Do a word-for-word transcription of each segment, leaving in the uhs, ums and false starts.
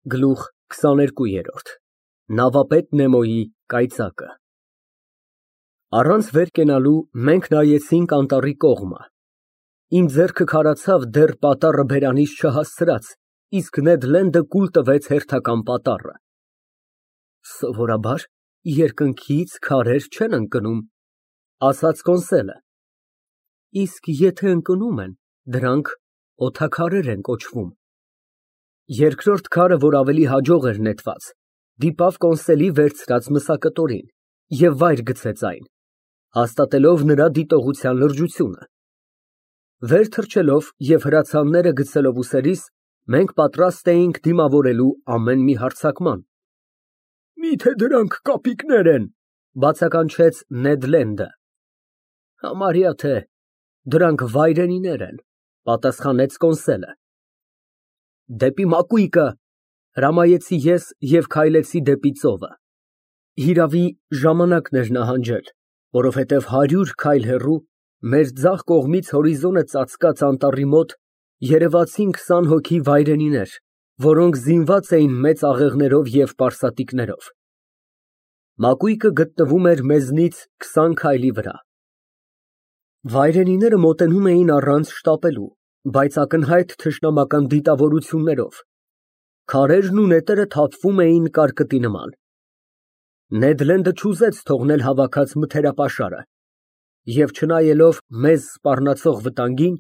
Գլուխ քսաներկու։ Նավապետ Նեմոյի կայծակը Առանց վեր կենալու մենք նայեցինք անտառի կողմը, իմ ձեռքը քարացավ դեռ պատառը բերանիս չհասցրած, իսկ Նեդ Լենդը կուլ տվեց հերթական պատառը։ Սովորաբար երկնքից քարեր չեն ընկնում, ասաց Կոնսելը, իսկ եթե ընկնում են, դրանք օդաքարեր են կոչվում։ Երկրորդ քարը, որ ավելի հաջող էր նետված, դիպավ Կոնսելի վերցրած մսակտորին և վայր գցեց այն, հաստատելով նրա դիտողության լրջությունը։ Վեր թռչելով և հրացանները գցելով ուսերիս, մենք պատրաստ էինք դիմավորելու ամեն մի հարձակման։ Մի՞թե դրանք կապիկներ են, բացականչեց Նեդ Լենդը։ Համարյա թե, դրանք վայրենիներ են, պատասխանեց Կոնսելը։ Դեպի մակույկը, հրամայեցի ես և քայլեցի դեպի ծովը։ Հիրավի, ժամանակն էր նահանջել, որովհետև հարյուր քայլ հեռու, մեր ձախ կողմից հորիզոնը ծածկած անտառի մոտ, երևացին քսան հոգի վայրենիներ, որոնք զինված էին մեծ աղեղներով և պարսատիկներով։ Մակույկը գտնվում էր մեզնից քսան քայլի վրա։ Վայրենիները մոտենում էին առանց շտապելու, բայց ակնհայտ թշնամական դիտավորություններով, քարերն ու նետերը թափվում էին կարկտի նման։ Նեդ Լենդը չուզեց թողնել հավաքած մթերապաշարը և, չնայելով մեզ սպառնացող վտանգին,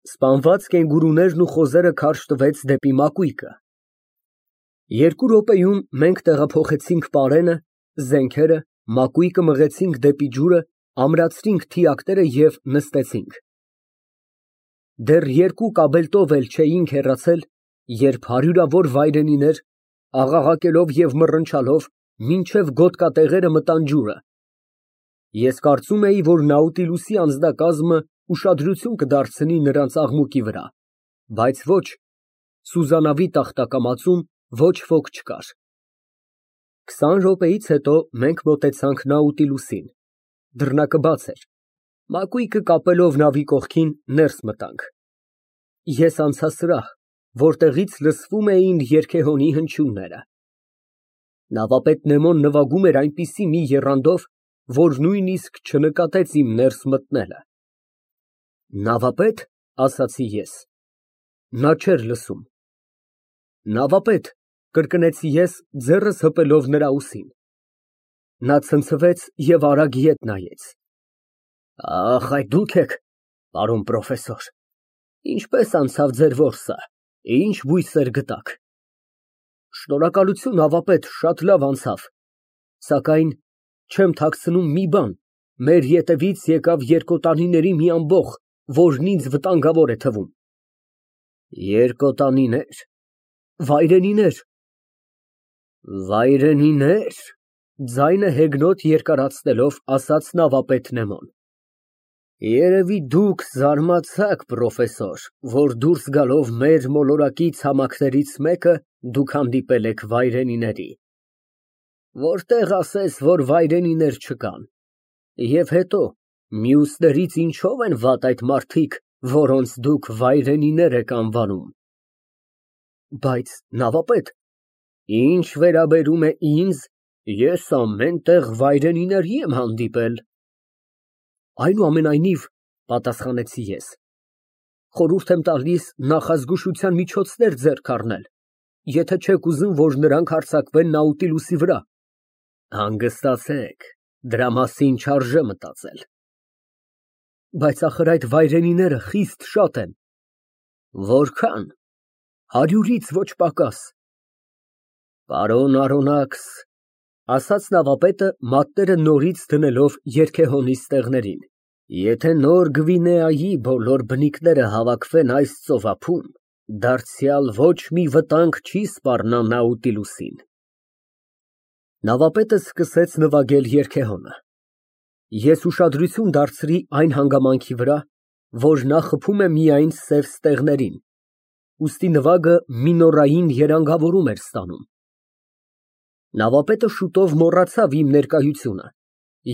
սպանված կենգուրուներն ու խոզերը քարշ տվեց դեպի մակույկը։ Երկու րոպեում մենք տեղափոխեցինք պարենը, զենքերը, մակույկը մղեցինք դեպի ջուրը, ամրացրինք թիակները և նստեցինք։ Դեռ երկու կաբելտով էլ չէինք հեռացել, երբ հարյուրավոր վայրենիներ, աղաղակելով և մռնչալով, մինչև գոտկատեղերը մտան ջուրը։ Ես կարծում էի, որ Նաուտիլուսի անձնակազմը ուշադրություն կդարձնի նրանց աղմուկի վրա, բայց ոչ, սուզանավի տախտակամածում ոչ ոք չկար։ Քսան րոպեից հետո մենք մոտեցանք Նաուտիլուսին, դռնակը բաց էր, մակույկը կապելով նավի կողքին, ներս մտանք։ Ես անցա սրահ, որտեղից լսվում էին երգեհոնի հնչյունները։ Նավապետ Նեմոն նվագում էր այնպիսի մի եռանդով, որ նույնիսկ չնկատեց իմ ներս մտնելը։ Նավապետ, ասացի ես։ Նա չէր լսում։ Նավապետ, կրկնեցի ես, ձեռս հպելով նրա ուսին։ Նա ցնցվեց և արագ ետ նայեց։ Ախ, այդ դուք եք, պարոն պրոֆեսոր, ինչպե՞ս անցավ ձեր որսը, ինչ բույսեր գտաք։ Շնորհակալություն, նավապետ, շատ լավ անցավ, սակայն չեմ թաքցնում մի բան, մեր ետևից եկավ երկոտանիների մի ամբոխ, որն ինձ վտանգավոր է թվում։ Երկոտանինե՞ր, վայրենիներ։ Վայրենինե՞ր, ձայնը հեգնոտ երկարացնելով, ասաց նավապետ Նեմոն։ Երևի դուք զարմացաք, պրոֆեսոր, որ դուրս գալով մեր մոլորակի ցամաքներից մեկը, դուք հանդիպել եք վայրենիների։ Որտեղ ասես, որ վայրենիներ չկան։ Եվ հետո, մյուսներից ինչո՞վ են վատ այդ մարդիկ, որոնց դուք վայրենիներ եք անվանում։ Բայց, նավապետ, ինչ վերաբերում է ինձ, ես ամեն տեղ վայրենիների եմ հանդիպել։ Այնուամենայնիվ, պատասխանեցի ես, խորհուրդ եմ տալիս նախազգուշության միջոցներ ձեռք առնել, եթե չեք ուզում, որ նրանք հարձակվեն Նաուտիլուսի վրա։ Հանգստացեք, դրա մասին չարժե մտածել։ Բայց ախր այդ վայրենիները խիստ շատ են։ Որքան։ Հարյուրից ոչ պակաս։ Պարոն Արոնաքս, ասաց նավապետը, մատները նորից դնելով երգեհոնի ստեղներին, եթե նոր Գվինեայի բոլոր բնիկները հավաքվեն այս ծովափում, դարձյալ ոչ մի վտանգ չի սպառնա Նաուտիլուսին։ Նավապետը սկսեց նվագել երգեհոնը։ Ես ուշադրություն դարձրի այն հանգամանքի վրա, որ նա խփում է միայն սև ստեղներին, ուստի նվագը մինորային երանգավորում էր ստանում։ Նավապետը շուտով մոռացավ իմ ներկայությունը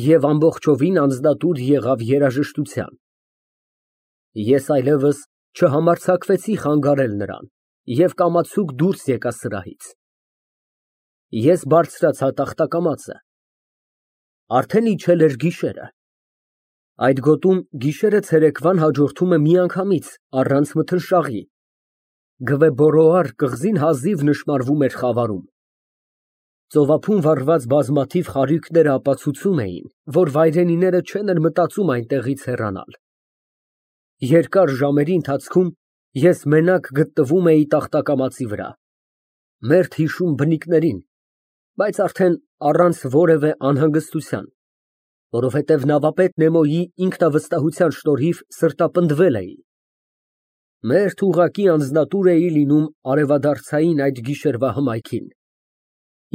և ամբողջովին անձնատուր եղավ երաժշտության։ Ես այլևս չհամարձակվեցի խանգարել նրան, և կամացուկ դուրս եկա սրահից։ Ես բարձրացա տախտակամածը։ Արդեն իջել էր գիշերը։ Այդ գոտում գիշերը ցերեկվան հաջորդում է միանգամից, առանց մթնշաղի։ Գվեբորոար կղզին հազիվ նշմարվում էր խավարում։ Ծովափում վառված բազմաթիվ խարույկները ապացուցում էին, որ վայրենիները չեն էլ մտածում այնտեղից հեռանալ։ Երկար ժամերի ընթացքում ես մենակ գտնվում էի տախտակամածի վրա, մերթ հիշում բնիկներին, բայց արդեն առանց որևէ անհանգստության, որովհետև նավապետ Նեմոյի ինքնավստահության շնորհիվ սրտապնդվել էի։ Մերթ ուղղակի անձնատուր էի լինում արևադարձային այդ գիշերվա հմայքին։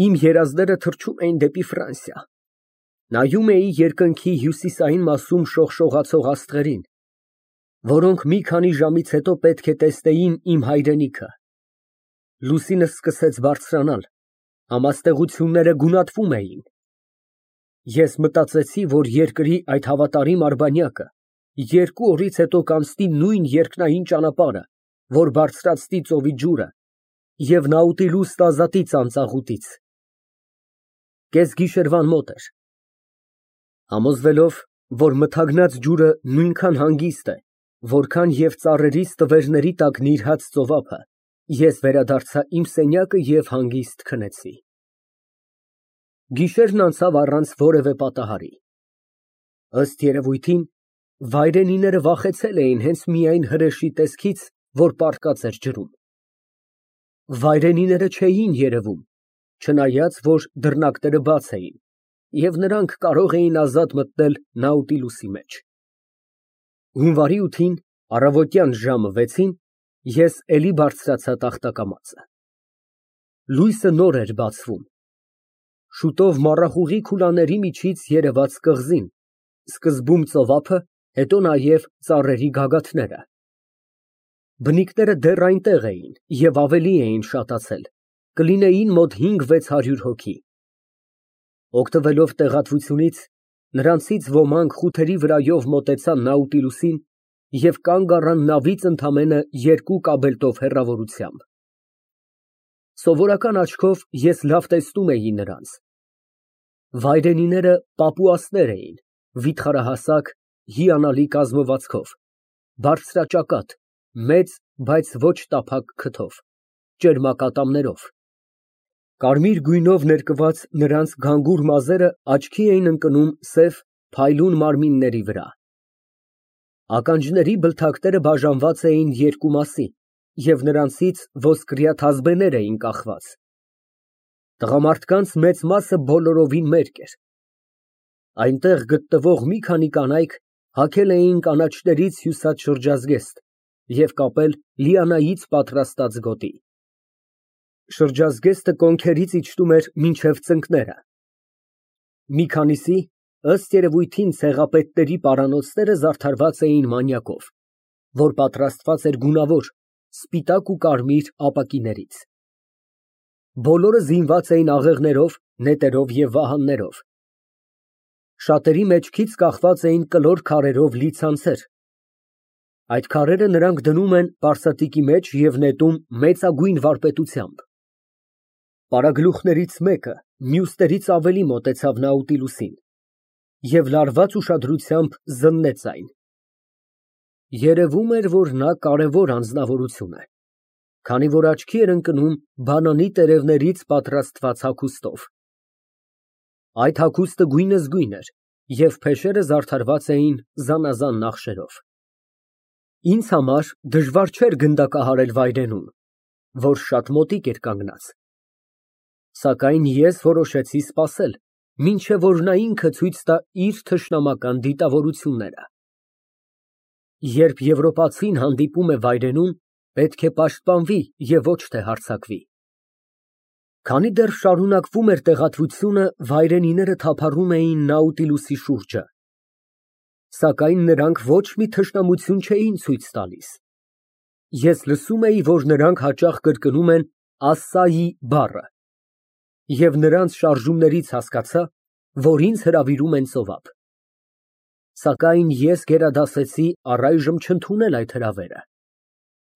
Իմ երազները թռչում էին դեպի Ֆրանսիա։ Նայում էի երկնքի հյուսիսային մասում շողշողացող աստղերին, որոնք մի քանի ժամից հետո պետք է տեսնեին իմ հայրենիքը։ Լուսինը սկսեց բարձրանալ, համաստեղությունները գունատվում էին։ Ես մտածեցի, որ երկրի այդ հավատարիմ արբանյակը երկու օրից հետո կանցնի նույն երկնային ճանապարհը, որ բարձրացնի ծովի ջուրը և Նաուտիլուս կազատի ծանծաղուտից։ Կեսգիշերվան մոտ էր։ Համոզվելով, որ մթագնած ջուրը նույնքան հանգիստ է, որքան և ծառերի ստվերների տակ նիրհած ծովափը, ես վերադարձա իմ սենյակը և հանգիստ քնեցի։ Գիշերն անցավ առանց որևէ պատահարի։ Ըստ երևույթին, վայրենիները վախեցել էին հենց միայն հրեշի տեսքից, որ պառկած էր ջրում։ Վայրենիները չէին երևում, չնայած որ դռնակները բաց էին, և նրանք կարող էին ազատ մտնել Նաուտիլուսի մեջ։ Հունվարի ութին, առավոտյան ժամը վեցին, ես էլի բարձրացա տախտակամածը։ Լույսը նոր էր բացվում։ Շուտով մառախուղի քուլաների միջից երևաց կղզին, սկզբում ծովափը, հետո նաև ծառերի գագաթները։ Բնիկները դեռ այնտեղ էին և ավելի էին շատացել, կլինեին մոտ հինգ֊վեց հարյուր հոգի։ Օգտվելով տեղատվությունից, նրանցից ոմանք խութերի վրայով մոտեցան Նաուտիլուսին և կանգ առան նավից ընդամենը երկու կաբելտով հեռավորությամբ։ Սովորական աչքով ես լավ տեսնում էի նրանց։ Վայրենիները պապուասներ էին, վիթխարահասակ, հիանալի կազմվածքով, բարձրաճակատ, մեծ, բայց ոչ տափակ քթով, ճերմակատամներով։ Կարմիր գույնով ներկված նրանց գանգուր մազերը աչքի էին ընկնում սև, փայլուն մարմինների վրա։ Ականջների բլթակները բաժանված էին երկու մասի և նրանցից ոսկրյա թազբեներ էին կախված։ Տղամարդկանց մեծ մասը բոլորովին մերկ էր։ Այնտեղ գտնվող մի քանի կանայք հագել էին կանաչներից հյուսած շրջազգեստ և կապել լիանայից պատրաստած գոտի։ Շրջազգեստը կոնքերից իջնում էր մինչև ծնկները։ Մի քանիսի, ըստ երևույթին, ցեղապետների պարանոցները զարդարված էին մանյակով, որ պատրաստված էր գունավոր, սպիտակ ու կարմիր ապակիներից։ Բոլորը զինված էին աղեղներով, նետերով և վահաններով։ Շատերի մեջքից կախված էին կլոր քարերով լի ցանցեր։ Այդ քարերը նրանք դնում են պարսատիկի մեջ և նետում մեծագույն վարպետությամբ։ Պարագլուխներից մեկը մյուսներից ավելի մոտեցավ Նաուտիլուսին և լարված ուշադրությամբ զննեց այն։ Երևում էր, որ նա կարևոր անձնավորություն է, քանի որ աչքի էր ընկնում բանանի տերևներից պատրաստված հագուստով։ Այդ հագուստը գույնզգույն էր և փեշերը զարդարված էին զանազան նախշերով։ Ինձ համար դժվար չէր գնդակահարել վայրենուն, որ շատ մոտիկ էր կանգնած։ Սակայն ես որոշեցի սպասել, մինչև որ նա ինքը ցույց տա իր թշնամական դիտավորությունները։ Երբ եվրոպացին հանդիպում է վայրենուն, պետք է պաշտպանվի և ոչ թե հարձակվի։ Քանի դեռ շարունակվում էր տեղատվությունը, վայրենիները թափառում էին Նաուտիլուսի շուրջը։ Սակայն նրանք ոչ մի թշնամություն չէին ցույց տալիս։ Ես լսում էի, որ նրանք հաճախ կրկնում են ասսայի բառը, և նրանց շարժումներից հասկացա, որ ինձ հրավիրում են ծովափ։ Սակայն ես գերադասեցի առայժմ չընդունել այդ հրավերը։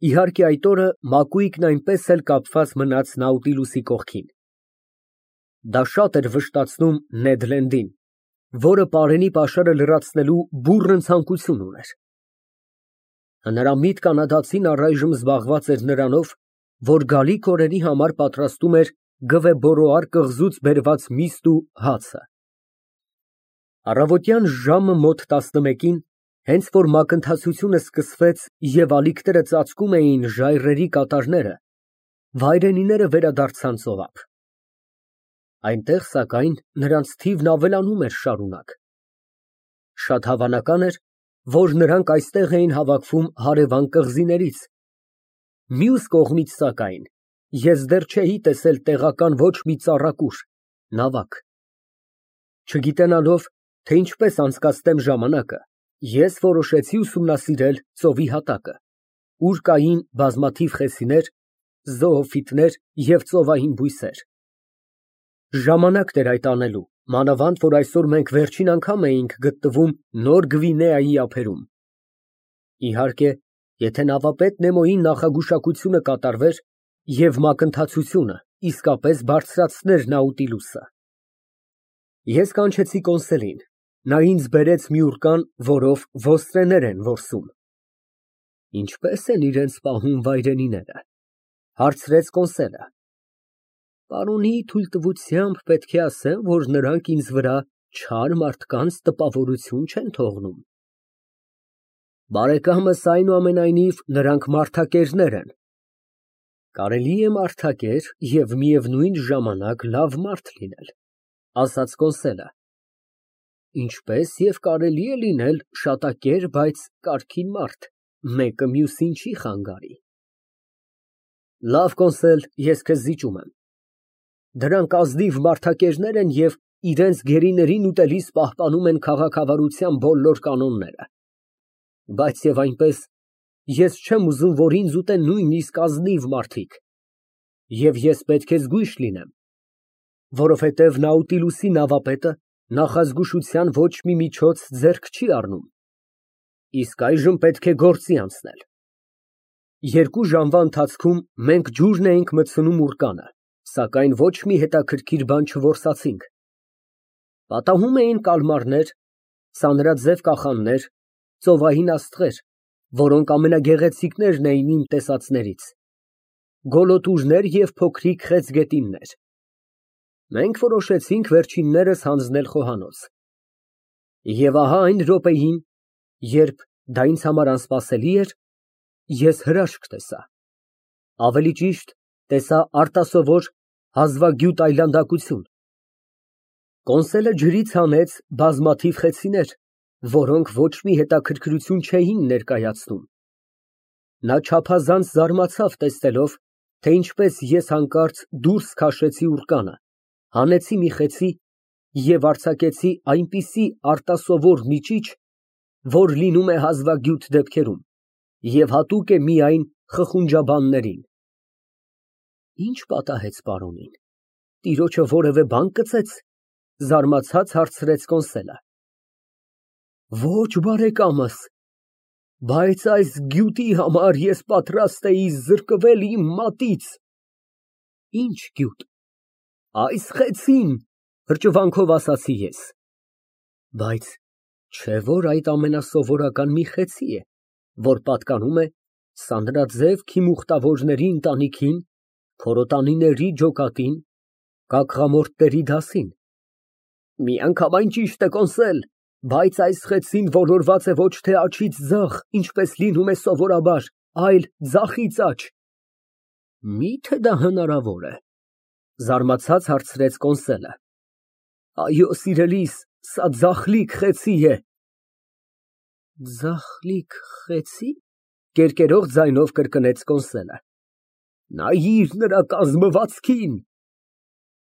Իհարկե այդ օրը Մակուիկն այնպես էլ կապված մնաց Նաուտիլուսի կողքին։ Դա շատ էր վշտացնում Նեդ Լենդին, որը պարենի պաշարը լրացնելու բուռն ցանկություն ուներ։ Նրա միտքը կանադացին առայժմ զբաղված էր նրանով, որ գալիք օրերի համար պատրաստում էր Գվեբորոար կղզուց բերված միստ ու հացը։ Առավոտյան ժամը մոտ տասնմեկին, հենց որ մակընթացությունը սկսվեց և ալիքները ծածկում էին ժայռերի կատարները, վայրենիները վերադարձան ծովափ։ Այնտեղ, սակայն, նրանց թիվն ավելանում էր շարունակ։ Շատ հավանական էր, որ նրանք այստեղ էին հավաքվում հարևան կղզիներից։ Մյուս կողմից, սակայն, ես դեռ չէի տեսել տեղական ոչ մի ծառակուր, նավակ։ Չգիտենալով, թե ինչպես անցկացնեմ ժամանակը, ես որոշեցի ուսումնասիրել ծովի հատակը, ուր կային բազմաթիվ խեցիներ, զոոֆիտներ և ծովային բույսեր։ Ժամանակ էր այդ անելու, մանավանդ որ այսօր մենք վերջին անգամ էինք գտնվում Նոր Գվինեայի ափերում։ Իհարկե, եթե նավապետ Նեմոյի նախագուշակությունը կատարվեր և մակընթացությունը իսկապես բարձրացներ Նաուտիլուսը։ Ես կանչեցի կոնսոլին, նա ինձ բերեց մի ուրկան, որով ոստրեներ են որսում։ Ինչպե՞ս են իրենց պահում վայրենիները, հարցրեց կոնսոլը։ Պարոնի թույլտվությամբ պետք է ասեմ, որ նրանք ինձ վրա չար մարդկանց տպավորություն չեն թողնում։ Բարեկամս, այնուամենայնիվ, նրանք մարդակերներ են։ Կարելի է մարդակեր և միևնույն ժամանակ լավ մարդ լինել, ասաց կոնսոլը։ Ինչպես և կարելի է լինել շատակեր, բայց կարգին մարդ, մեկը մյուսին չի խանգարի։ Լավ, կոնսոլ, ես քեզ զիջում եմ։ Դրանք ազնիվ մարդակերներ են և իրենց գերիներին ուտելիս պահպանում են քաղաքավարության բոլոր կանոնները։ Բայց և այնպես, ես չեմ ուզում, որ ինձ ուտեն նույնիսկ ազնիվ մարդիկ։ Եվ ես պետք է զգույշ լինեմ, որովհետև Նաուտիլուսի նավապետը նախազգուշության ոչ մի միջոց ձեռք չի առնում։ Իսկ այժմ պետք է գործի անցնել։ Երկու ժամվա ընթացքում մենք ջուրն էինք մտցնում ուռկանը, սակայն ոչ մի հետաքրքիր բան չորսացինք։ Պատահում էին կալմարներ, սանրաձև կախաններ, ծովային աստղեր, որոնք ամենագեղեցիկներն էին իմ տեսածներից, գոլոտուրներ և փոքրիկ խեցգետիններ։ Մենք որոշեցինք վերջիններս հանձնել խոհանոց։ Եվ ահա այն րոպեին, երբ դա ինձ համար անսպասելի էր, ես հրաշք տեսա, ավելի ճիշտ, տեսա արտասովոր, հազվագյուտ այլանդակություն։ Կոնսոլը ջրից հանեց բազմաթիվ խեցիներ, որոնք ոչ մի հետաքրքրություն չէին ներկայացնում։ Նա չափազանց զարմացավ տեսնելով, թե ինչպես ես հանկարծ դուրս քաշեցի ուռկանը, հանեցի մի խեցի և արձակեցի այնպիսի արտասովոր միջիչ, որ լինում է հազվագյուտ դեպքերում և հատուկ է միայն խխունջաբաններին։ Ի՞նչ պատահեց պարոնին, տիրոջը որևէ բան կծեց, զարմացած հարցրեց կոնսոլը։ Ոչ, բարեկամս, բայց այս գյուտի համար ես պատրաստ էի զրկվել իմ մատից։ Ի՞նչ գյուտ։ Այս խեցին, հրճվանքով ասացի ես։ Բայց չէ՞ որ այդ ամենասովորական մի խեցի է, որ պատկանում է սանրաձև քիմուխտավորների ընտանիքին, քորոտանիների ջոկատին, կակղամորտների դասին։ Միանգամայն ճիշտ է, կոնսոլ, բայց այս խեցին ոլորված է ոչ թե աջից ձախ, ինչպես լինում է սովորաբար, այլ ձախից աջ։ Մի՞թե դա հնարավոր է, զարմացած հարցրեց կոնսոլը։ Այո, սիրելիս, սա ձախլիկ խեցի է։ Ձախլիկ խեցի՞, կերկերող ձայնով կրկնեց կոնսոլը։ Նայիր նրա կազմվածքին։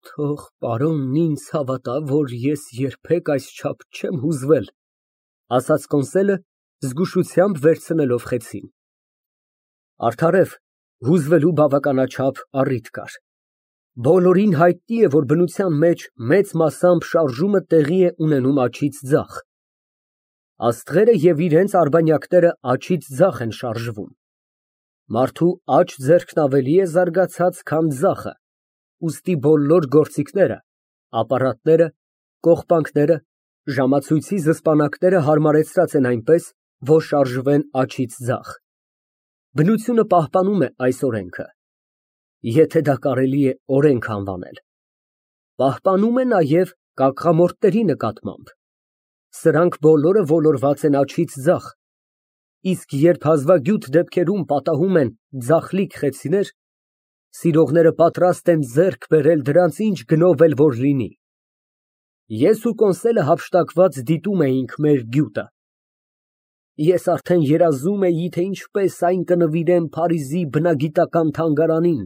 Թող պարոնն ինձ հավատա, որ ես երբեք այսչափ չեմ հուզվել, ասաց կոնսոլը, զգուշությամբ վերցնելով խեցին։ Արդարև, հուզվելու բավականաչափ առիթ կար։ Բոլորին հայտնի է, որ բնության մեջ մեծ մասամբ շարժումը տեղի է ունենում աջից ձախ։ Աստղերը և իրենց արբանյակները աջից ձախ են շարժվում։ Մարդու աջ ձեռքն ավելի է զարգացած, քան ձախը, ուստի բոլոր գործիքները, ապարատները, կողպանքները, ժամացույցի զսպանակները հարմարեցրած են այնպես, որ շարժվեն աջից ձախ։ Բնությունը պահպանում է այս օրենքը, եթե դա կարելի է օրենք անվանել, պահպանում է նաև կաղկամորտների նկատմամբ, սրանք բոլորը ոլորված են աջից ձախ, իսկ երբ հազվագյուտ դեպքերում պատահում են ձախլիկ խեցիներ, սիրողները պատրաստ են ձեռք բերել դրանց ինչ գնով էլ որ լինի։ Ես ու Կոնսելը հափշտակված դիտում էինք մեր գյուտը։ Ես արդեն երազում էի, թե ինչպես այն կնվիրեմ Փարիզի բնագիտական թանգարանին,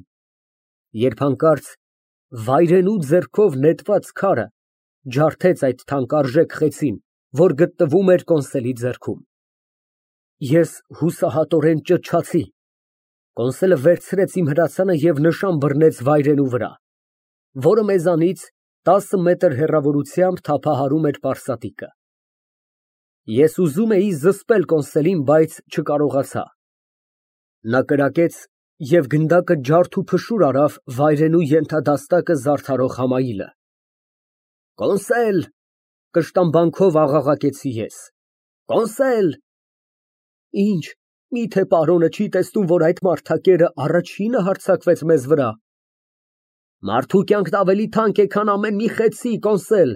երբ հանկարծ վայրենու ձեռքով նետված քարը ջարդեց այդ թանկարժեք խեցին, որ գտնվում էր Կոնսելի ձեռքում։ Ես հուսահատորեն ճչացի։ Կոնսելը վերցրեց իմ հրացանը և նշան բռնեց վայրենու վրա, որը մեզանից տասը մետր հեռավորությամբ թափահարում էր պարսատիկը։ Ես ուզում էի զսպել Կոնսելին, բայց չկարողացա։ Նա կրակեց և գնդակը ջարդ ու փշուր արավ վայրենու ենթադաստակը զարդարող համայիլը։ «Կոնսել», կշտամբանքով աղաղակեցի ես, «Կոնսել»։ Ինչ, միթե պարոնը չի տեսնում, որ այդ մարդակերը առաջինը հարձակվեց մեզ վրա։ Մարդու կյանքն ավելի թանկ է, քան ամեն մի խեցի, Կոնսել։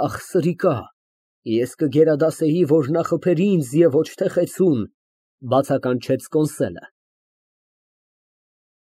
Ախ, սրիկա, ես կգերադասեի, որ նա խփեր ինձ և ոչ թե խեցուն, բացականչեց Կոնսելը։